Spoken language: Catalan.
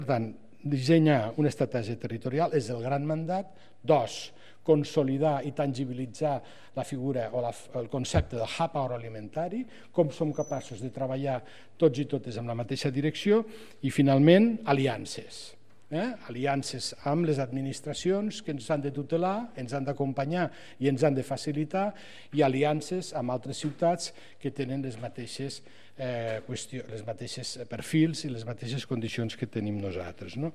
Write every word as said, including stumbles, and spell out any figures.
Per tant, dissenyar una estratègia territorial és el gran mandat. Dos, consolidar i tangibilitzar la figura o la, el concepte del hub agroalimentari, com som capaços de treballar tots i totes en la mateixa direcció, i finalment aliances. Eh? Aliances amb les administracions que ens han de tutelar, ens han d'acompanyar i ens han de facilitar, i aliances amb altres ciutats que tenen les mateixes, eh, qüestions, les mateixes perfils i les mateixes condicions que tenim nosaltres. No?